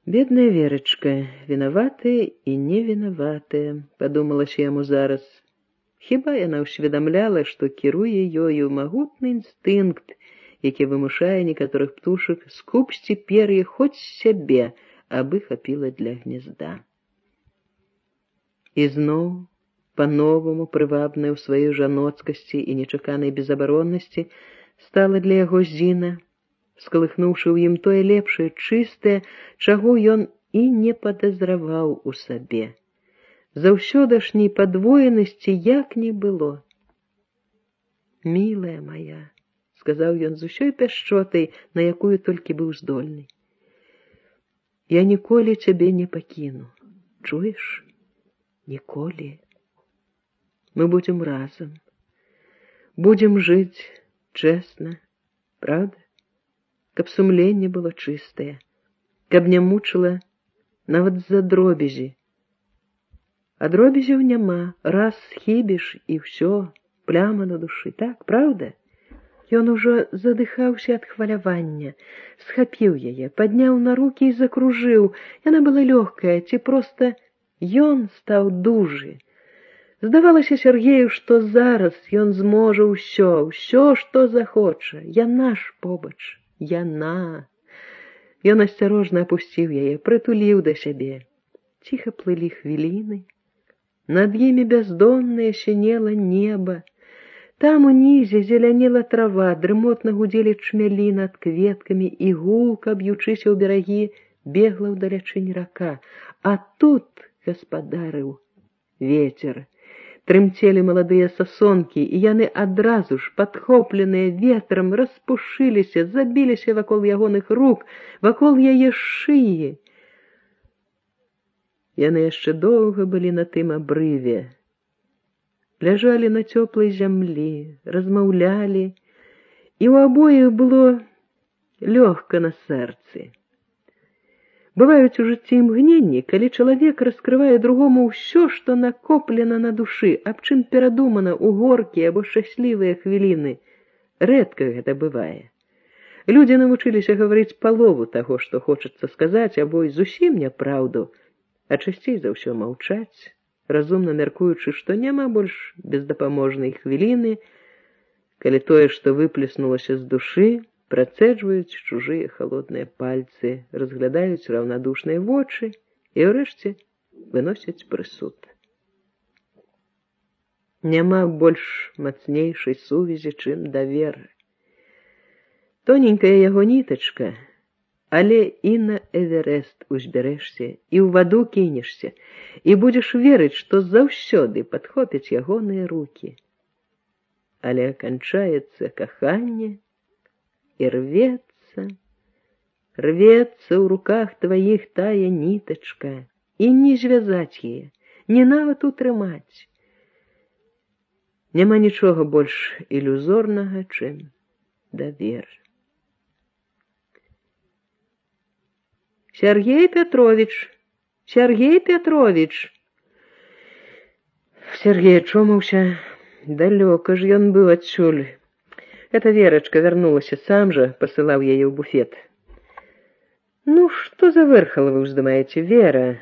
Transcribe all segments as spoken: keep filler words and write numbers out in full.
Бедная Верочка, вінаватая і невінаватая, падумалася яму зараз. Хіба яна ўсведамляла, што кіруе ёю магутны інстынкт, які вымушае некаторых птушак скупсці пер'е хоць сябе, абы хапіла для гнезда. І зноў, па-новаму прывабная ў сваёй жаноцкасці і нечаканай безабароннасці, стала для яго Зіна, скалыхнуўшы ў ім тое лепшае, чыстае, чаго ён і не падазраваў у сабе. Заўсёдашняй падвоенасці як не было. «Мілая моя», — сказаў ён з усёй пяшчотай, на якую толькі быў здольны, «я ніколі цябе не пакіну, чуеш? Ніколі. Мы будзем разам, будзем жыць чэсна, правда? Каб сумленне было чыстае, каб не мучыла нават з-за дробязі. А дробязяў няма, раз схібіш і ўсё, пляма на душы, так, правда?» Ён ужо задыхаўся ад хвалявання, схапіў яе, падняў на рукі і закружыў. Яна была лёгкая, ці проста ён стаў дужы. Здавалася Сергею, што зараз ён зможа ўсё, ўсё, што захоча. Яна ж побач, яна. Ён асцярожна апусціў яе, прытуліў да сябе. Ціха плылі хвіліны. Над імі бяздоннае сінела неба. Там унізе зелянела трава, дрымотна гудзелі чмялі над кветкамі, і гулка, б'ючыся ў берагі, бегла ўдалячынь рака. А тут гаспадарыў вецер. Трымцелі маладыя сасонкі, і яны адразу ж, падхопленыя ветрам, распушыліся, забіліся вакол ягоных рук, вакол яе шыі. Яны яшчэ доўга былі на тым абрыве. Ляжалі на цёплай зямлі, размаўлялі, і ў абоіх было лёгка на сэрцы. Бываюць у жыцці імгненні, калі чалавек раскрывае другому ўсё, што накоплена на душы, аб чым перадумана ў горкія або шчаслівыя хвіліны. Рэдка гэта бывае. Людзі навучыліся гаварыць палову таго, што хочацца сказаць, або і зусім няпраўду, а часцей за ўсё маўчаць, разумна мяркуючы, што няма больш бездапаможнай хвіліны, калі тое, што выплеснулася з душы, працэджваюць чужыя халодныя пальцы, разглядаюць раўнадушныя вочы і ўрэшце выносяць прысуд. Няма больш мацнейшай сувязі, чым давер. Тоненькая яго нітачка, але і на Эверест узбярэшся, і ў ваду кінешся, і будзеш верыць, што заўсёды падхопяць ягоныя рукі. Але канчаецца каханне, і рвецца, рвецца ў руках тваіх тая нітачка, і не звязаць яе, не нават утрымаць. Няма нічога больш ілюзорнага, чым давер. «Сергей Петрович! Сергей Петрович!» Сергей ачомаўся. Далёка ж ён быў адсюль. Эта Верочка вярнулася, сам жа пасылаў яе ў буфет. «Ну, што за вэрхала вы ўздымаеце, Вера?»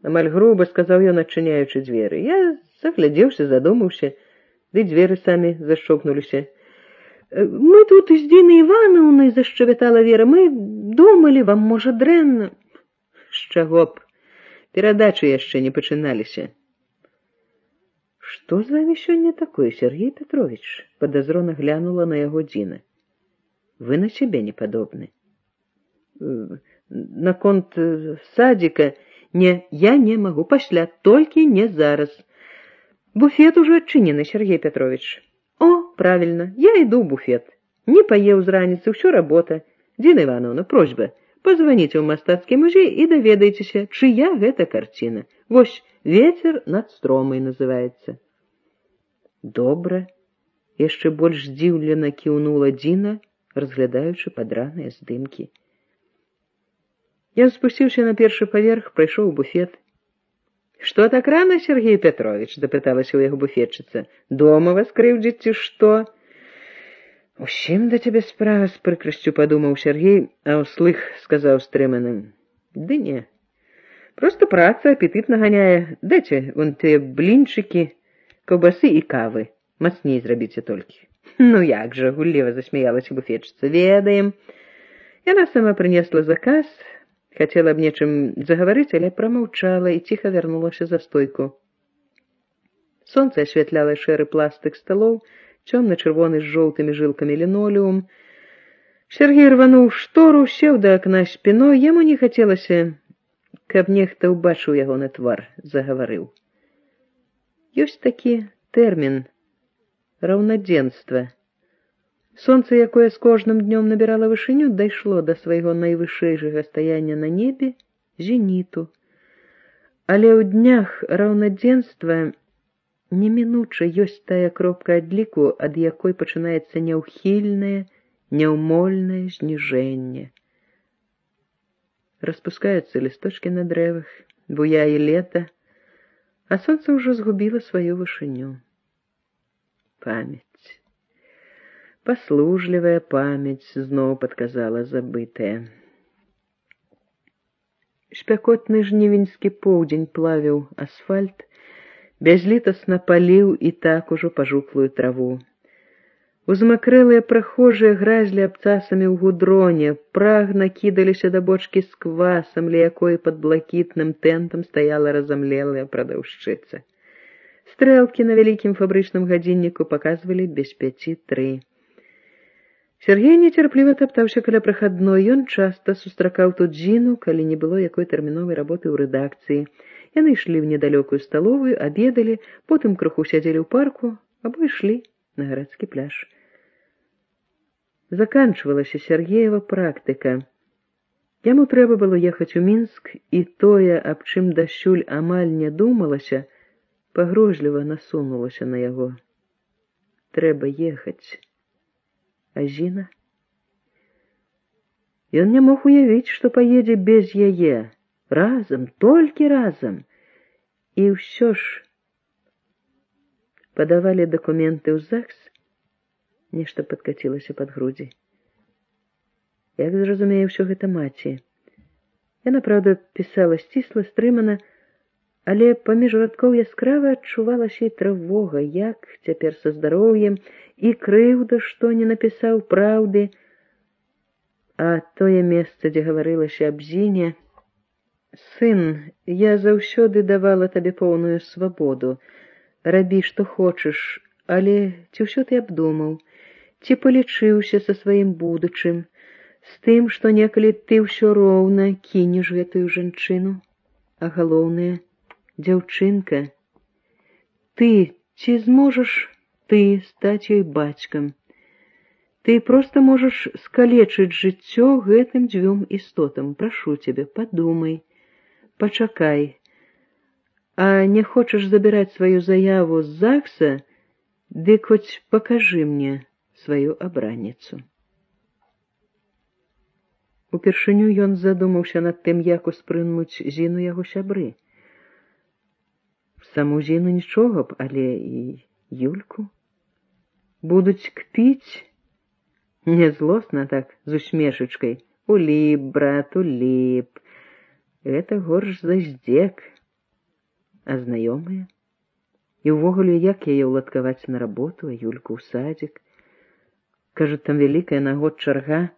Амаль груба сказаў ён, адчыняючы дзверы. Я заглядзеўся, задумаўся, ды дзверы самі зашчокнуліся. «Мы тут з Динай Ивановной, — зашчавятала Вера, — мы думалі, вам, можа, дрэнна». «З чаго б? Перадачы яшчэ не пачыналіся». «Што з вами сёння такое, Сергей Петрович?» — подозрона глянула на яго Дина. «Вы на себе не падобны». «Наконт садика? Не, я не могу, пасля, толькі не зараз. Буфет уже адчынены, Сергей Петрович». «О, правильно, я иду в буфет. Не поеў з раніцы, ўсё работа. Дина Ивановна, просьба, позвоните ў мастацкі музей і даведайцеся, чыя гэта карціна. Вось «Ветер над стромай» называецца». «Добра», — яшчэ больш здзіўлена кіўнула Дина, разглядаючы падраныя здымкі. Ён спусціўся на першы паверх, прайшоў у буфет. «Что так рано, Сергей Петрович?» — допыталася ў яго буфетчыца. «Дома вас крыўдзіць ці што?» «Усім да цябе справа», — з прыкрасцю падумаў Сергей, а ўслых сказаў стрыманым. Ды не. Просто праца апетыт наганяе. Дайце вон тыя блінчыкі, каўбасы і кавы. Мацней зрабіце толькі. Ну як жа, гулліва засмяялася буфетчыца. Ведаем. Яна сама прынесла заказ, хацела б нечым загаварыць, але прамаўчала і ціха вярнулася за стойку. Сонца асвятляла шэры пластык сталоў, цёмна-чырвоны з жоўтымі жылкамі лінолеум. Сергей рвануў штору, сеў да акна спіной, яму не хацелася, каб нехта ўбачыў ягоны твар, загаварыў. Ёсць такі тэрмін раўнадзенства. Сонца, якое з кожным днём набірала вышыню, дайшло да свайго найвышэйшага стаяння на небе, зеніту. Але ў днях раўнадзенства немінуча ёсць тая кропка адліку, ад якой пачынаецца няўхільнае, няўмольнае зніжэнне. Распускаюцца лісточкі на дрэвах, буяе лета, а сонца ўжо згубіла сваю вышыню. Памяць. Паслужлівая памяць зноў падказала забытае. Шпякотны жнівеньскі поўдзень плавіў асфальт, бязлітасна паліў і так ужо пажуклую траву. Узмакрэлыя прахожыя гразлі абцасамі ў гудроне, прагна кідаліся да бочкі з квасам, ля якой пад блакітным тэнтам стаяла разамлелая прадаўшчыца. Стрэлкі на вялікім фабрычным гадзінніку паказвалі без пяці тры. Сергей нецярпліва таптаўся каля прахадной. Ён часта сустракаў тут Зіну, калі не было якой тэрміновай работы ў рэдакцыі. Яны ішлі ў недалёкую сталовую, абедалі, потым крыху сядзелі ў парку, або ішлі на гарадскі пляж. Заканчвалася Сергеева практыка. Яму трэба было ехаць у Мінск, і тое, аб чым дасюль амаль не думалася, пагрожліва насунулася на яго. Трэба ехаць. А Зіна? Ён не мог уявіць, што паедзе без яе. Разам, толькі разам. І ўсё ж падавалі дакументы ў ЗАГС, нешта падкацілася пад грудзі. Як зразумее ўсё гэта маці. Яна, праўда, пісала сцісла, стрымана, але паміж радкоў яскрава адчувалася і трывога, як цяпер са здароўем, і крыўда, што не напісаў праўды. А тое месца, дзе гаварылася аб Зіне: «Сын, я заўсёды давала табе поўную свабоду. Рабі, што хочаш, але ці ўсё ты абдумаў? Ці палічыўся са сваім будучым, з тым, што некалі ты ўсё роўна кінеш гэтую жанчыну? А галоўнае, дзяўчынка, ты ці зможаш ты стаць ёй бацькам? Ты проста можаш скалечыць жыццё гэтым дзвюм істотам. Прашу цябе, падумай, пачакай. А не хочаш забіраць сваю заяву з ЗАГСа, дык хоць пакажы мне сваю абранніцу». Упершыню ён задумаўся над тым, як успрымуць Зіну яго сябры. Саму Зіну нічога б, але і Юльку будуць кпіць. Не злосна так, з усмешачкай. Уліп, брат, уліп. Гэта горш за здзек. А знаёмыя? І ўвогуле, як яе ўладкаваць на работу, а Юльку ў садзік? Кажуць, там вялікая на год чарга.